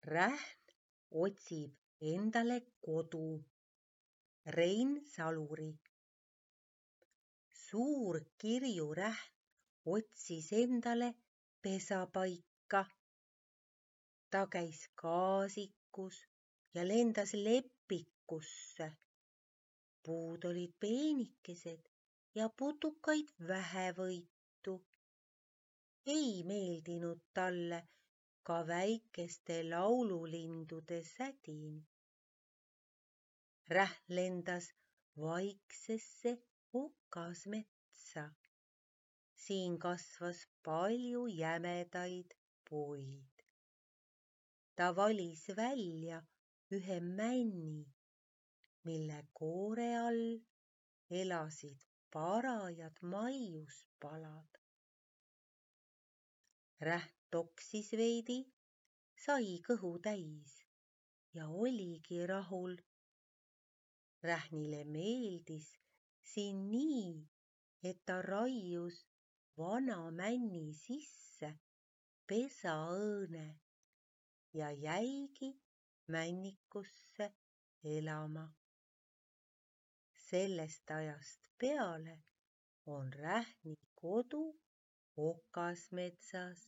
Rähn otsib endale kodu. Rein Saluri. Suur kirjurähn otsis endale pesapaika. Ta käis kaasikus ja lendas lepikusse. Puud olid peenikesed ja putukaid vähevõitu. Ei meeldinud talle ka väikeste laululindude sädin. Rähn lendas vaiksesse okasmetsa. Siin kasvas palju jämedaid puid. Ta valis välja ühe männi, mille koore all elasid parajad maiuspalad. Rähn toksis veidi, sai kõhu täis ja oligi rahul. Rähnile meeldis siin nii, et ta raius vana männi sisse pesaõõne ja jäigi männikusse elama. Sellest ajast peale on Rähni kodu okasmetsas.